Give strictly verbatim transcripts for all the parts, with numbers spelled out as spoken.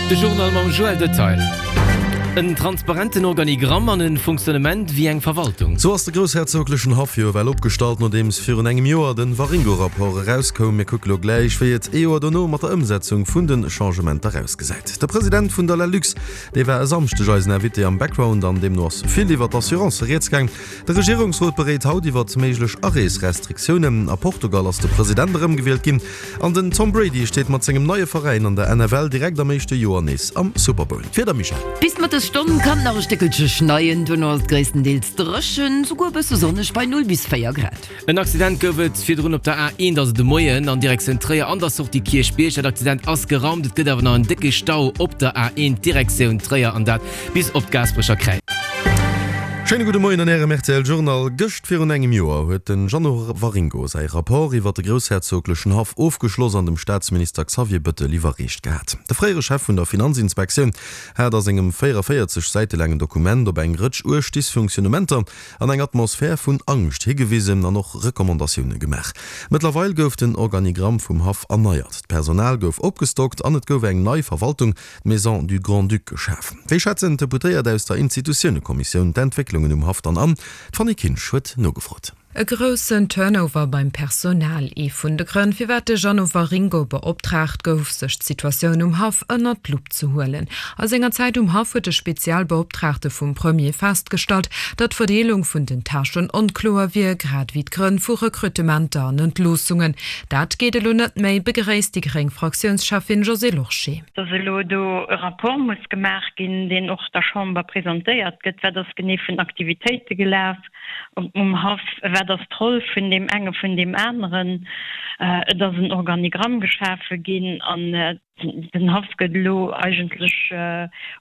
De Journal mam Joël Detail. En transparenten Organigramm an e Fonctionnement wéi eng Verwaltung. Sou ass de groussherzoglechen Haff jo ewell opgestallt, nodeems virun engem Joer de Waringo-Rapport erauskoum. Mir kucke lo gläich, wéi et ee Joer dono mat der Ëmsetzung vun de Changementer ausgesäit. De President vun der LALUX, dee war e Samschdeg eisen Invité am Background an deemno ass vill iwwer d'Assurancë rieds gaang. De Regierungsrot beréit haut iwwer méiglech Areesrestriktiounen. A Portugal ass de President erëmgewielt ginn an den Tom Brady steet mat sengem neie Veräin an der N F L direkt am éischte Joer nees am Super Bowl. D'Wieder, Michèle? Bis d'Mëttesstonn kann et nach e Stéckelche schneien, duerno ass et gréisstendeels dréchen, souguer e bësse sonneg bei null bis véier Grad. En Accident gouf et virdrun op der A eent, also de Moien an Direktioun Tréier an der Sortie Kierchbierg. Dat Accident ass geraumt, et gëtt awer nach en décke Stau op der A eent Direktioun Tréier an dat bis op d'Gaasperecher Kräiz. Schéine gudde Moien an Ärem R T L Journal. Gëscht virun engem Joer huet de Jeannot Waringo säi Rapport iwwer de groussherzoglechen Haff ofgeschloss an dem Staatsminister Xavier Bëttel iwwerreecht gehat. De fréiere Chef vun der Finanzinspektioun hat a sengem véierundavéierzeg Säite laangen Dokument op eng Rëtsch uerg Dysfunktionnementer an eng Atmosphär vun Angscht higewisen an och Recommandatioune gemaach. Mëttlerweil gouf den Organigramm vum Haff erneiert, d'Personal gouf opgestockt an et gouf eng nei Verwaltung, d'Maison du Grand-Duc, geschaf. Wéi schätzen d'Deputéiert aus der Institutiounekommissioun d'Entwécklungen um Haff dann an? D'Fanny Kinsch huet nogefrot. E groussen Turnover beim Personal, ee vun de Grënn, firwat de Jeannot Waringo beoptraagt gouf, sech d'Situatioun um Haff ënnert d'Lupp ze huelen. A senger Zäit um Haff huet de Spezialbeoptraagte vum Premier festgestallt, datt d'Verdeelung vun den Tâchen onkloer wier, grad ewéi d'Grënn vu Rekrutementer an Entloossungen. Dat geet elo net méi, begréisst déi gréng Fraktiounscheffin Josée Lorsché. Datt elo do e Rapport muss gemaach ginn, deen och der Chamber presentéiert gëtt, wat ass genee vun Aktivitéite gelaf um Haff, wat ass d'Roll vun deem enge vun deem aneren. Et ass en Organigramm geschafe ginn an den Haff gëtt elo eigentlech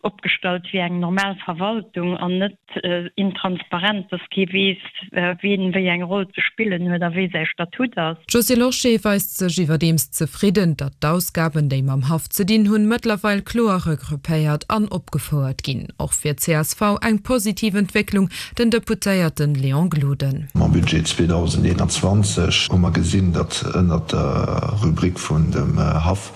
opgestallt wéi eng normal Verwaltung an net intransparent, dass kee weess, wien wéi eng Roll ze spillen huet a wéi säi Statut ass. D'Josée Lorsché weist sech iwwerdeems zefridden, datt d'Ausgaben, déi mam Haff ze dinn hunn, mëttlerweil kloer regroupéiert an opgefouert ginn. Och fir d'C S V eng positiv Entwécklung, den Deputéierten Léon Gloden. Mam Budget zweedausendeenanzwanzeg hu mer gesinn, datt ënner der Rubrik vun dem Haff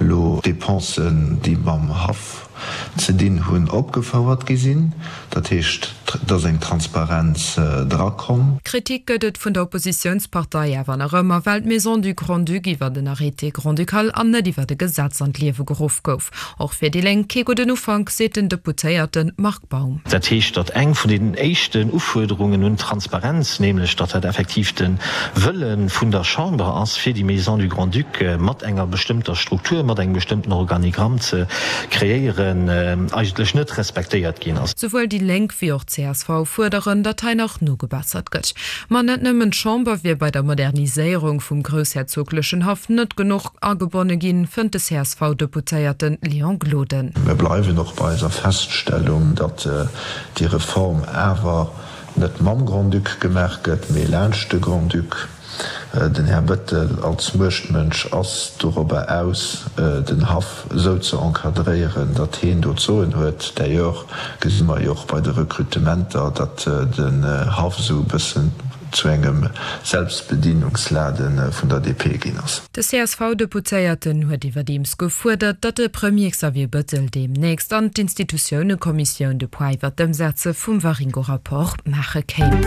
elo Dépensen, déi mam Haff ze dinn hunn, opgefouert gi sinn. Dat heescht, dass eng Transparenz drakomm. Kritik gëtt et vun der Oppositiounspartei awer nach ëmmer, well d'Maison du Grand-Duc iwwer den Arrêté grand-ducal an net iwwer e Gesetz an d'Liewe geruff gouf. Och fir déi Lénk kee gudden Ufank, seet den Deputéierte Marc Baum. Dat heescht, datt eng vun den éischten Ufuerderungen un Transparenz, nämlech datt dat effektiv de Wëlle vun der Chamber ass, fir déi Maison du Grand-Duc mat enger bestëmmter Struktur, mat engem bestëmmten Organigramm ze kreéieren, eigentlech net respektéiert ginn ass. Souwuel déi Lénk wéi och d'C S V fuerderen, datt hei nach nogebessert gëtt. Ma net nëmmen d'Chamber wier bei der Moderniséierung vum groussherzoglechen Haff net genuch agebonne ginn, fënnt de C S V-Deputéierte Léon Gloden. Mir bleiwen och bei eiser Feststellung, datt déi Reform awer net mam Grand-Duc gemaach gëtt, mee laanscht de Grand-Duc. Den Här Bëttel als Muechtmënsch ass dorobber aus, den Haff esou ze encadréieren, datt heen do d'Soen huet. D'ailleurs gesi mer jo och bei de Rekrutementer, datt den Haff esou e bëssen zu engem Selbstbedienungslade vun der D P ginn ass. De C S V-Deputéierten huet iwwerdeems gefuerdert, datt de Premier Xavier Bëttel deemnächst an d'Institutiounekommissioun de Point iwwer d'Ëmsetze vum Waringo-Rapport maache kéim.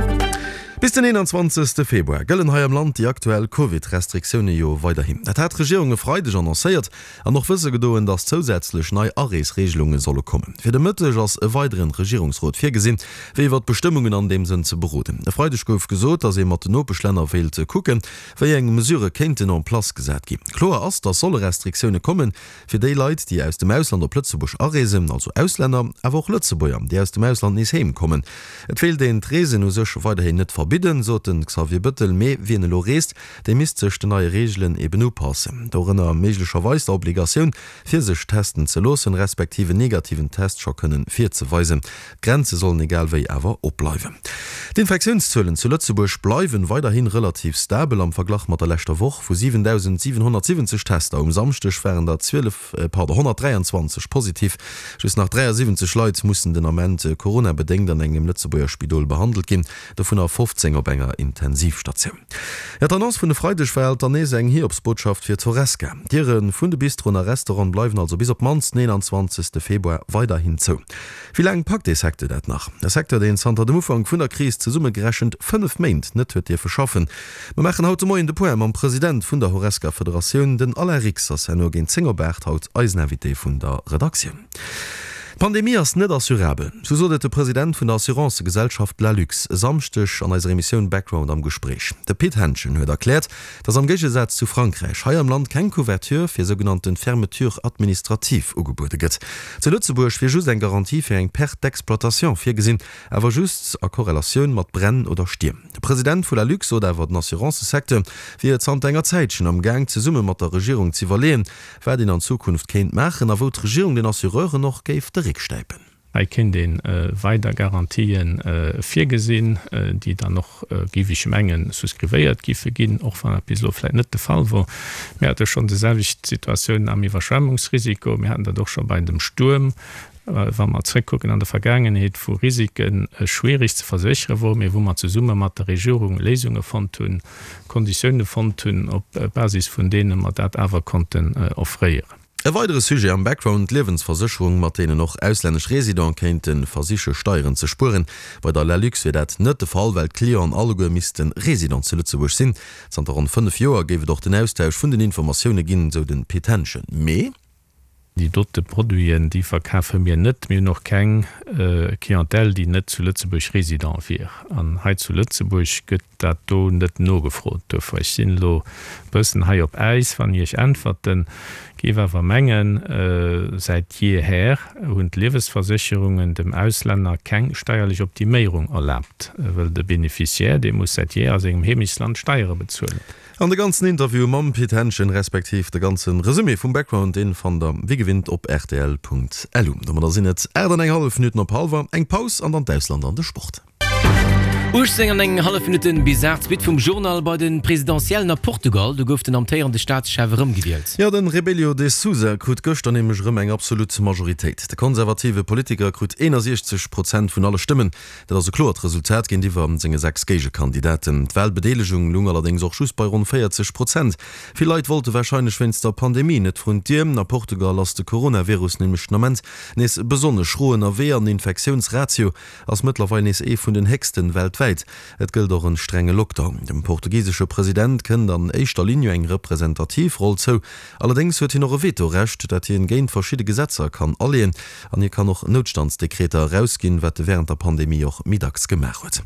Bis den eenanzwanzegste Februar gëllen hei am Land déi aktuell Covid-Restriktioune jo weiderhin. Dat hat d'Regierung e Freideg annoncéiert an och wësse gedoen, datt zousätzlech nei Areesreegelunge solle kommen. Fir de Mëtteg ass e weideren Regierungsrot virgesinn, fir iwwer d'Bestëmmungen an deem Sënn ze beroden. E Freideg gouf gesot, datt ee mat den Nopeschlänner wéilt kucken, wéi eng Mesure kéinten en place gesat ginn. Kloer ass, datt solle Restriktioune kommen fir déi Leit, déi aus dem Ausland op Lëtzebuerg areesen, also Auslänner, awer och Lëtzebuerger, déi aus dem Ausland nees heem kommen. Et wéilt een d'Reesen u sech weiderhin net verbidden, sot den Xavier Bëttel, mee wien elo reest, dee misst sech den neie Reegelen eben upassen. Dorënner méiglecherweis der Obligatioun, fir sech testen ze loossen, respektive negativen Test scho kënnen virzeweisen. D'Grenze sollen egal wéi awer opbleiwen. D'Infektiounszuelen zu Lëtzebuerg bleiwen weiderhin relativ stabel am Verglach mat der leschter Woch. Vu siwentausendsiewenhonnertsiwwenzeg Tester um Samschdeg waren der zwielef, pardon, honnertdräianzwanzeg positiv. Just nach dräiasiwwenzeg Leit mussen den Ament Corona-bedéngt an engem Lëtzebuerger Spidol behandelt ginn. Dovunner fofzéng fofzéng op enger Intensivstatioun. Jo, d'Annonce vun e Freideg war alt dann nees eng Hiobsbotschaft fir d'Horesca. D'Diere vun de Bistroen a Restaurante bleiwen also bis op d'mannst den eenanzwanzegste Februar weiderhin zou. Wéi laang packt dee Secteur dat nach? E Secteur, deen zanter dem Ufank vun der Kris zesummegerechent fënnef Méint net huet dierfe schaffen. Mer maachen haut de Moien de Point mam President vun der Horesca-Federatioun. Den Alain Rix ass herno géint zéng op aacht haut eisen Invité vun der Redaktioun. D'Pandemie ass net assurabel, sou sot et de President vun der Assurancegesellschaft Lalux e Samschdeg an eiser Emissioun Background am Gespréich. De Pit Henschen huet erkläert, datt am Géigesaz zu Frankräich hei am Land keng Couverture fir sougenannte Fermeture administrative ugebuede gëtt. Zu Lëtzebuerg wier just eng Garantie fir eng Perte d'exploitation virgesinn, awer just a Korrelatioun mat Bränn oder Stierm. De President vu Lalux sot awer, den Assurancesecteur wier zanter enger Zäitchen am Gaang zesumme mat der Regierung z'iwwerleeën, wat een an Zukunft kéint maachen a wou d'Regierung den Assureuren och géif de Réck stäipen. Hei kéint ee weider Garantië virgesinn, déi dann och, géif ech mengen, souscrivéiert géife ginn, och wann dat bis elo vläicht net de Fall wor. Mir hate schonn déi selwecht Situatioun am Iwwerschwemmungsrisiko, mir haten dat och scho bei dem Stuerm, wa mer zréckkucken an der Vergaangenheet, wou Risike schwierig ze verséchere woren, mee wou mer zesumme mat der Regierung Léisunge fonnt hunn, Konditioune fonnt hunn, op Basis vun deene mer dat awer konnten offréieren. E weidere Sujet am Background, d'Liewensversécherung, mat deenen och auslännesch Residente kéinte versiche Steieren ze spueren. Bei der Lalux wier dat net de Fall, well d'Clienten alleguer misste Resident zu Lëtzebuerg sinn. Zanter ronn fënnef Joer géif et och den Austausch vun den Informatioune ginn, sou de Pit Henschen. Mee. Déi dote Produiten, déi verkafe mir net. Mir hunn och keng Clientèle, déi net zu Lëtzebuerg Résident wier. An hei zu Lëtzebuerg gëtt dat do net nogefrot. Duerfir, ech sinn elo e bëssen hei op Äis, wann ech Iech äntwerten, géif awer mengen, säit jeeher hunn d'Liewesversécherungen dem Auslänner keng steierlech Optiméierung erlaabt, wëll de Bénéficiaire, dee muss säit jeeher a sengem Heemechtsland Steiere bezuelen. An de ganzen Interview mam Pit Henschen, respektiv de ganze Resumé vum Background, deen fannt der wéi gewinnt op rtl.lu. Domadder sinn et aacht an eng hallef Minutten op hallwer. Eng Paus an dann d'Ausland an de Sport. Uechtzéng an eng hallef Minutten bis aacht, d'Suite vum Journal bei de Presidentiellen a Portugal. Do gouf den amtéierende Staatschef erëmgewielt. Jo, de Rebelo de Sousa krut gëschter nämlech erëm eng absolut Majoritéit. De konservative Politiker krut eenundsechzeg Prozent vun alle Stëmmen. Dat ass e kloert Resultat géintiwwer senge sechs Géigekandidaten. D'Walbedeelegung lung allerdéngs och just bei ronn véierzeg Prozent. Vill Leit wollte warscheinlech wéinst der Pandemie net vrun d'Dier. A Portugal ass de Coronavirus nämlech den Ament nees besonnesch schro ënnerwee an den Infektiounsratio ass mëttlerweil nees ee vun den héchsten weltwäit. Et gëllt och en strenge Lockdown. Dem portugisesche President kënnt an éischter Linn jo eng representativ Roll zou. Allerdéngs huet hien och e Vetorecht, dat hien géint verschidde Gesetzer kann aleeën. An hie kann och Noutstandsdekreter erausginn, wat e wärend der Pandemie och méi dacks gemaach huet.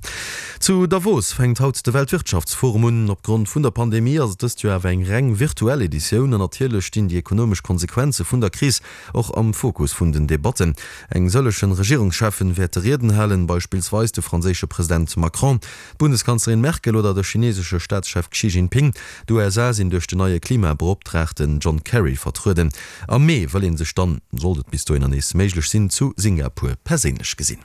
Zu Davos fänkt haut de Weltwirtschaftsforum un. Opgrond vun der Pandemie ass et dëst Joer awer eng reng virtuell Editioun. An natierlech stinn déi ekonomesch Konsequenze vun der Kris och am Fokus vun den Debatten. Eng sëllechen Regierungscheffen wäerte Rieden halen, beispillsweis de franséische President Macron, d'Bundeskanzlerin Merkel oder de chinesesche Staatschef Xi Jinping. D'U S A sinn duerch den neie Klimabeoptraagten John Kerry vertrueden. Am Mee wëll ee sech dann, sollt et bis dohinner nees méiglech sinn, zu Singapur perséinlech gesinn.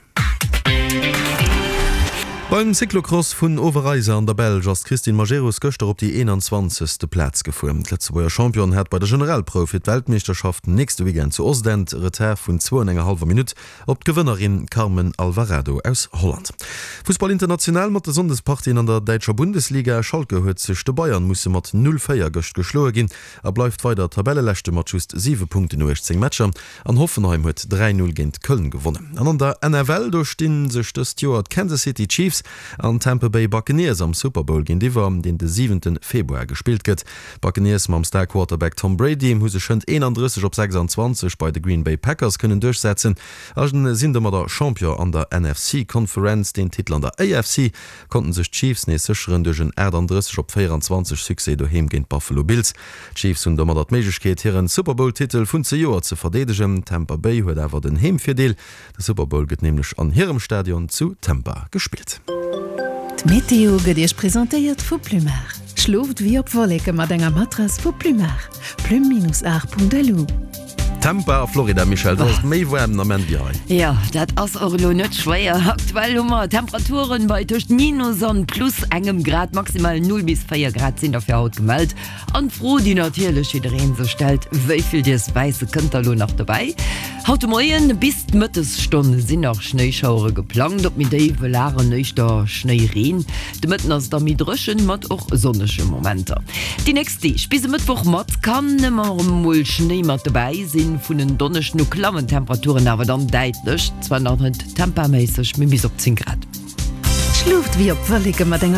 Beim Cyclocross vun Overijse an der Belsch ass d'Christine Majerus gëschter op déi eenanzwanzegste Plaz gefuer. D'Lëtzebuerger Championne hat bei der Generalprouf fir d'Weltmeeschterschaft nächste Weekend zu Ostend e Retard vun zwou an enger hallwer Minutt op d'Gewënnerin Carmen Alvarado aus Holland. Fussball international mat de Sonndespartien an der däitscher Bundesliga. Schalke huet sech de Bayern musse mat null véier gëscht geschloe ginn a bleift weider Tabelleleschte mat just siwe Punkten no uechtzéng Matcher. An Hoffenheim huet dräi Null géint Köln gewonnen. An an der N F L, do sti sech dëst Joer d'Kansas City Chiefs an Tampa Bay Buccaneers am Super Bowl géintiwwer, deen de siwente Februar gespillt gëtt. D'Buccaneers mam Star-Quarterback Tom Brady hu sech hënt eenandrësseg op sechsanzwanzeg bei de Green Bay Packers kënnen duerchsetzen a sinn domadder Champion an der N F C Conference. Den Titel an der A F C konnten sech d'Chiefs nees sécheren duerch en achtandrësseg op véieranzwanzeg Succès doheem géint d'Buffalo Bills. D'Chiefs hunn domadder d'Méiglechkeet, hiren Super Bowl-Titel vun zejoert ze verdeedegen. Tampa Bay huet awer den Heemvirdeel, de Super Bowl gëtt nämlech an hirem Stadion zu Tampa gespillt. D'Meteo gëtt Iech presentéiert vu Plumar. Schlooft wéi op Wolleke mat enger Matrass vu Plumar. Plume-art.lu. Tampa a Florida, Michèle, do ass et méi waarm den Ament wéi hei. Jo, dat ass och elo net schwéier. Aktuell hu mer Temperaturen bei tëscht minus an plus engem Grad, maximal null bis véier Grad sinn der fir haut gemellt. An d'Fro, déi natierlech jidderee sech stellt, Wéi vill dierst Wäisse kënnt da lo nach dobäi? Haut de Moien bis d'Mëttesstonn sinn nach Schnéischauere geplangt, op méi déiwe Lagen éischter Schnéireen. De Mëtten ass et da méi dréchen, mat och sonnege Momenter. Déi nächst Deeg bis e Mëttwoch mat kann ëmmer erëm mol Schnéi mat dobäi sinn. Vun en Donneschden u klammen d'Temperaturen awer dann däitlech, zwar nach net tempaméisseg, mee bis op zéng Grad. Schloft wéi op Wolleke mat enger.